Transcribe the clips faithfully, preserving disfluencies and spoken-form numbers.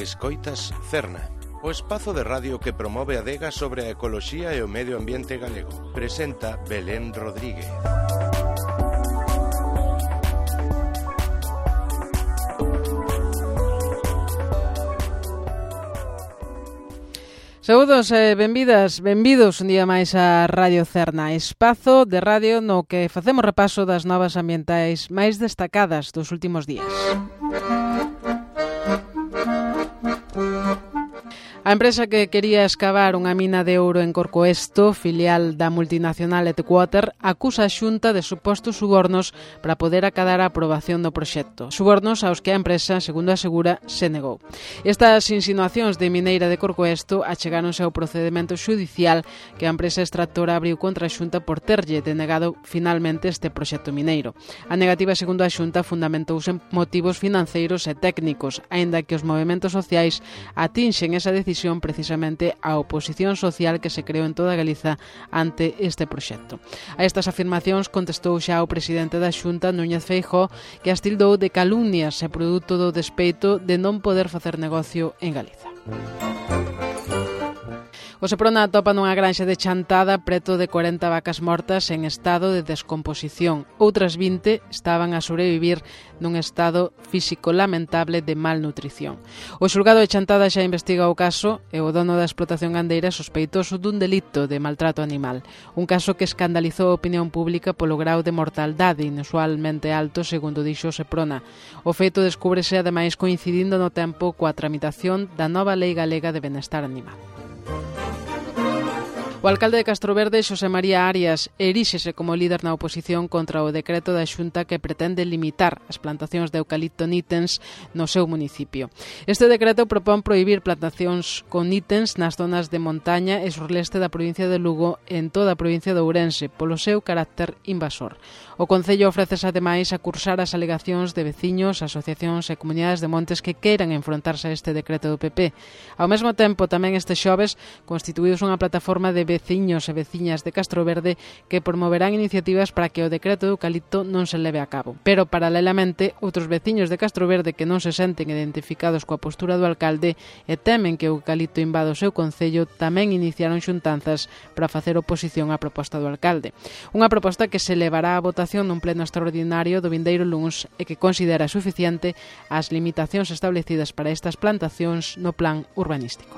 Escoitas Cerna, o espazo de radio que promove a adega sobre a ecoloxía e o medio ambiente galego. Presenta Belén Rodríguez. Saúdos e benvidas, benvidos un día máis a Radio Cerna, espazo de radio no que facemos repaso das novas ambientais máis destacadas dos últimos días. A empresa que quería escavar unha mina de ouro en Corcoesto, filial da multinacional Etequator, acusa a Xunta de supostos subornos para poder acadar a aprobación do proxecto. Subornos aos que a empresa, segundo asegura, se negou. Estas insinuacións de Mineira de Corcoesto achegáronse ao procedimento xudicial que a empresa extractora abriu contra a Xunta por terlle denegado finalmente este proxecto mineiro. A negativa, segundo a Xunta, fundamentouse en motivos financeiros e técnicos, aínda que os movementos sociais atinxen esa decisión precisamente a oposición social que se creou en toda Galiza ante este proxecto. A estas afirmacións contestou xa o presidente da Xunta, Núñez Feijóo, que as tildou de calumnias e produto do despeito de non poder facer negocio en Galiza. O Seprona atopa nunha granxa de Chantada preto de corenta vacas mortas en estado de descomposición. Outras vinte estaban a sobrevivir nun estado físico lamentable de malnutrición. O xulgado de Chantada xa investiga o caso e o dono da explotación gandeira sospeitoso dun delito de maltrato animal. Un caso que escandalizou a opinión pública polo grau de mortaldade inusualmente alto, segundo dixo o Seprona. O feito descúbrese ademais coincidindo no tempo coa tramitación da nova Lei Galega de Benestar Animal. O alcalde de Castroverde, Xosé María Arias, eríxese como líder na oposición contra o decreto da Xunta que pretende limitar as plantacións de eucalipto nítens no seu municipio. Este decreto propón prohibir plantacións con nítens nas zonas de montaña e surleste da provincia de Lugo e en toda a provincia de Ourense, polo seu carácter invasor. O Concello ofrece ademais a cursar as alegacións de veciños, asociacións e comunidades de montes que queiran enfrontarse a este decreto do P P. Ao mesmo tempo, tamén este xoves, constituíuse unha plataforma de veciños e veciñas de Castroverde que promoverán iniciativas para que o decreto do eucalipto non se leve a cabo. Pero, paralelamente, outros veciños de Castroverde que non se senten identificados coa postura do alcalde e temen que o eucalipto invada o seu concello tamén iniciaron xuntanzas para facer oposición á proposta do alcalde. Unha proposta que se levará a votación nun pleno extraordinario do vindeiro luns e que considera suficiente as limitacións establecidas para estas plantacións no plan urbanístico.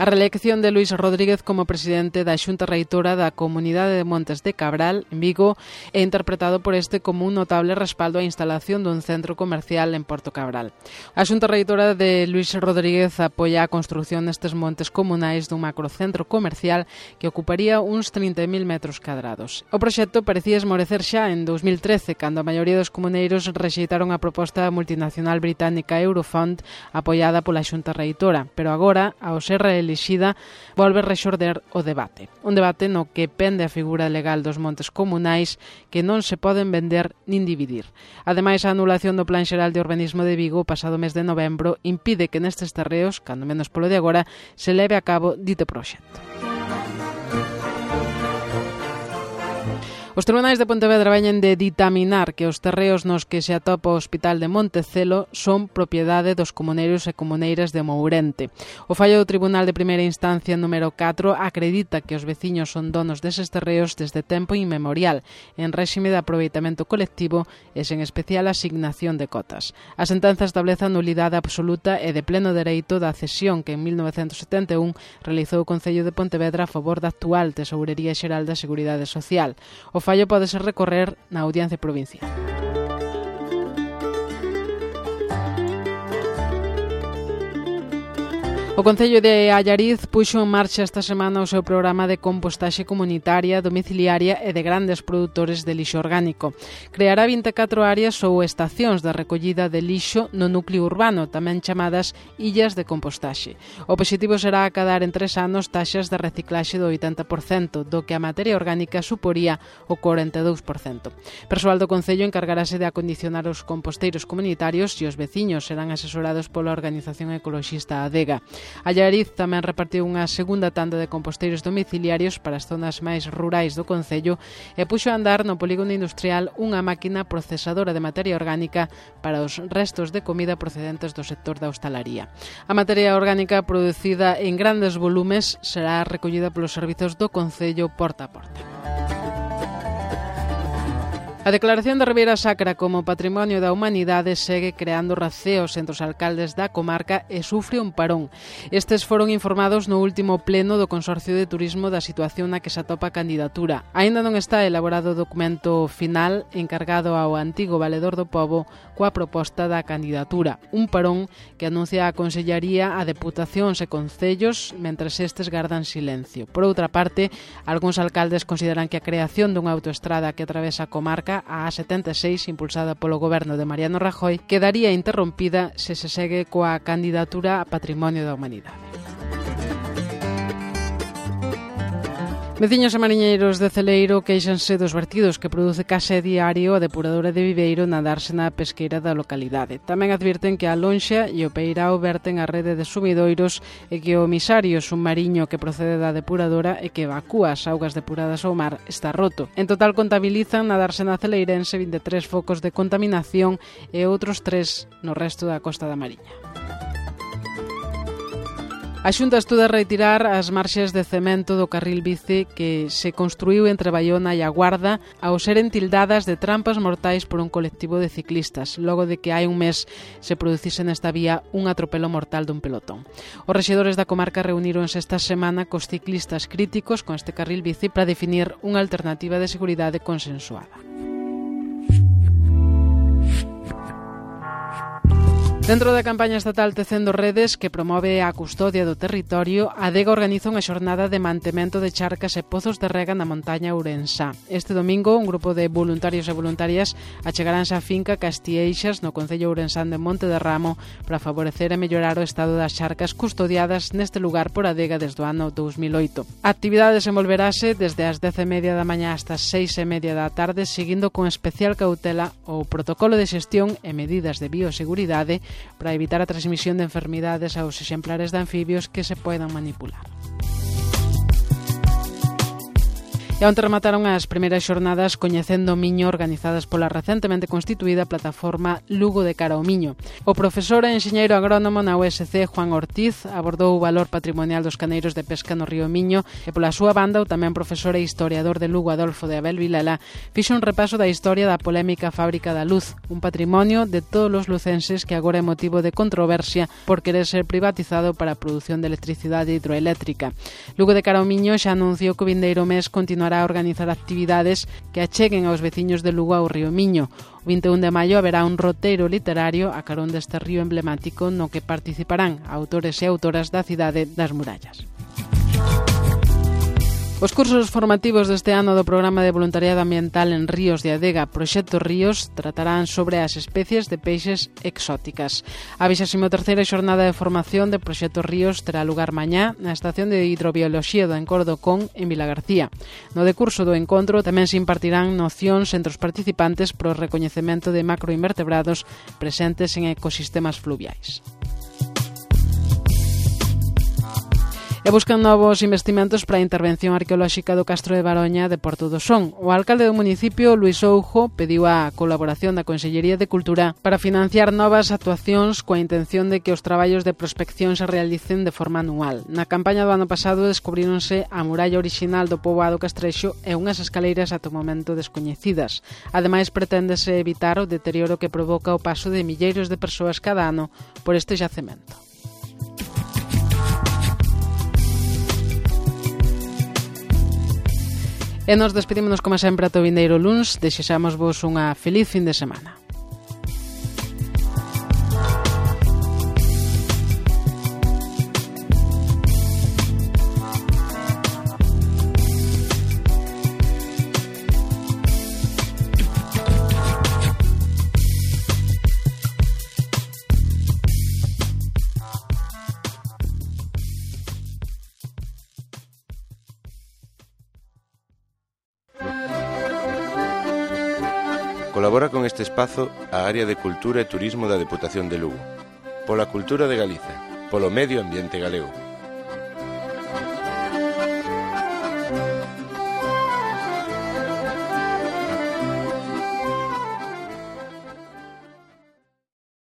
A reelección de Luís Rodríguez como presidente da Xunta Reitora da Comunidade de Montes de Cabral, en Vigo, é interpretado por este como un notable respaldo á instalación dun centro comercial en Porto Cabral. A Xunta Reitora de Luís Rodríguez apoia a construción nestes montes comunais dun macrocentro comercial que ocuparía uns trinta mil metros cadrados. O proxecto parecía esmorecer xa en dous mil trece, cando a maioría dos comuneiros rexeitaron a proposta multinacional británica Eurofund apoiada pola Xunta Reitora, pero agora, ao ser elixida, volve rexorder o debate. Un debate no que pende a figura legal dos montes comunais que non se poden vender nin dividir. Ademais, a anulación do Plan Xeral de Urbanismo de Vigo o pasado mes de novembro impide que nestes terreos, cando menos polo de agora, se leve a cabo dito proxecto. Os tribunais de Pontevedra veñen de ditaminar que os terreos nos que se atopa o Hospital de Montecelo son propiedade dos comuneiros e comuneiras de Mourente. O fallo do Tribunal de Primeira Instancia número catro acredita que os veciños son donos deses terreos desde tempo inmemorial, en réxime de aproveitamento colectivo e sen especial asignación de cotas. A sentenza establece a nulidade absoluta e de pleno dereito da cesión que en mil novecentos setenta e un realizou o Concello de Pontevedra a favor da actual Tesourería Xeral da Seguridade Social. O fallo pódese recorrer na Audiencia Provincial. O Concello de Allariz puxo en marcha esta semana o seu programa de compostaxe comunitaria, domiciliaria e de grandes produtores de lixo orgánico. Creará vinte e catro áreas ou estacións de recollida de lixo no núcleo urbano, tamén chamadas illas de compostaxe. O obxectivo será acadar en tres anos taxas de reciclaxe do oitenta por cento, do que a materia orgánica suporía o corenta e dous por cento. Persoal do Concello encargarase de acondicionar os composteiros comunitarios e os veciños serán asesorados pola organización ecoloxista Adega. Allariz tamén repartiu unha segunda tanda de composteiros domiciliarios para as zonas máis rurais do concello e puxo a andar no polígono industrial unha máquina procesadora de materia orgánica para os restos de comida procedentes do sector da hostalaría. A materia orgánica producida en grandes volumes será recollida polos servizos do concello porta a porta. A declaración da Ribeira Sacra como Patrimonio da Humanidade segue creando raceos entre os alcaldes da comarca e sufre un parón. Estes foron informados no último pleno do Consorcio de Turismo da situación na que se atopa a candidatura. Aínda non está elaborado o documento final encargado ao antigo valedor do pobo coa proposta da candidatura. Un parón que anuncia a Consellaría a Deputacións e Concellos mentres estes gardan silencio. Por outra parte, algúns alcaldes consideran que a creación dunha autoestrada que atravesa a comarca a A setenta e seis, impulsada polo goberno de Mariano Rajoy, quedaría interrompida se se segue coa candidatura a Patrimonio da Humanidade. Veciños e mariñeiros de Celeiro queixanse dos vertidos que produce case diario a depuradora de Viveiro na dársena pesqueira da localidade. Tamén advirten que a Lonxa e o Peirao verten a rede de sumidoiros e que o misario submarino que procede da depuradora e que evacúa as augas depuradas ao mar está roto. En total contabilizan na dársena celeirense vinte e tres focos de contaminación e outros tres no resto da Costa da Mariña. A Xunta estuda retirar as marxes de cemento do carril bici que se construiu entre Baiona e a Guarda ao seren tildadas de trampas mortais por un colectivo de ciclistas, logo de que hai un mes se producise nesta vía un atropelo mortal dun pelotón. Os rexedores da comarca reuníronse esta semana cos ciclistas críticos con este carril bici para definir unha alternativa de seguridade consensuada. Dentro da campaña estatal Tecendo Redes, que promove a custodia do territorio, a Adega organiza unha xornada de mantemento de charcas e pozos de rega na montaña ourensá. Este domingo, un grupo de voluntarios e voluntarias achegaránse á finca Castieixas, no concello ourensán de Monte de Ramo, para favorecer e mellorar o estado das charcas custodiadas neste lugar por Adega desde o ano dous mil oito. A actividade desenvolverase desde as dez e media da mañá hasta as seis e media da tarde, seguindo con especial cautela o protocolo de xestión e medidas de bioseguridade para evitar a transmisión de enfermidades aos exemplares de anfibios que se poidan manipular. E onte remataron as primeiras xornadas Coñecendo o Miño organizadas pola recentemente constituída plataforma Lugo de Cara ao Miño. O profesor e enxeñeiro agrónomo na U S C, Juan Ortiz, abordou o valor patrimonial dos caneiros de pesca no río Miño e pola súa banda o tamén profesor e historiador de Lugo, Adolfo de Abel Vilela, fixo un repaso da historia da polémica Fábrica da Luz, un patrimonio de todos os lucenses que agora é motivo de controversia por querer ser privatizado para a produción de electricidade hidroeléctrica. Lugo de Cara ao Miño xa anunciou que o vindeiro mes continuará a organizar actividades que acheguen aos veciños de Lugo ao río Miño. O vinte e un de maio haberá un roteiro literario a carón deste río emblemático no que participarán autores e autoras da cidade das murallas. Os cursos formativos deste ano do Programa de Voluntariado Ambiental en Ríos de Adega Proxecto Ríos tratarán sobre as especies de peixes exóticas. A vixésima terceira xornada de formación de Proxecto Ríos terá lugar mañá na Estación de Hidrobioloxía do Encordo Con en Vilagarcía. No decurso do encontro tamén se impartirán nocións entre os participantes pro recoñecemento de macroinvertebrados presentes en ecosistemas fluviais. E buscan novos investimentos para a intervención arqueolóxica do Castro de Baroña de Porto do Son. O alcalde do municipio, Luís Oujo, pediu a colaboración da Consellería de Cultura para financiar novas actuacións coa intención de que os traballos de prospección se realicen de forma anual. Na campaña do ano pasado descubríronse a muralla orixinal do poboado castrexo e unhas escaleiras ata o momento descoñecidas. Ademais, preténdese evitar o deterioro que provoca o paso de milleiros de persoas cada ano por este xacemento. E nos despedímonos como sempre ata o vindeiro luns. Desexamos vos unha feliz fin de semana. Colabora con este espazo a Área de Cultura e Turismo da Deputación de Lugo. Pola cultura de Galiza, polo medio ambiente galego.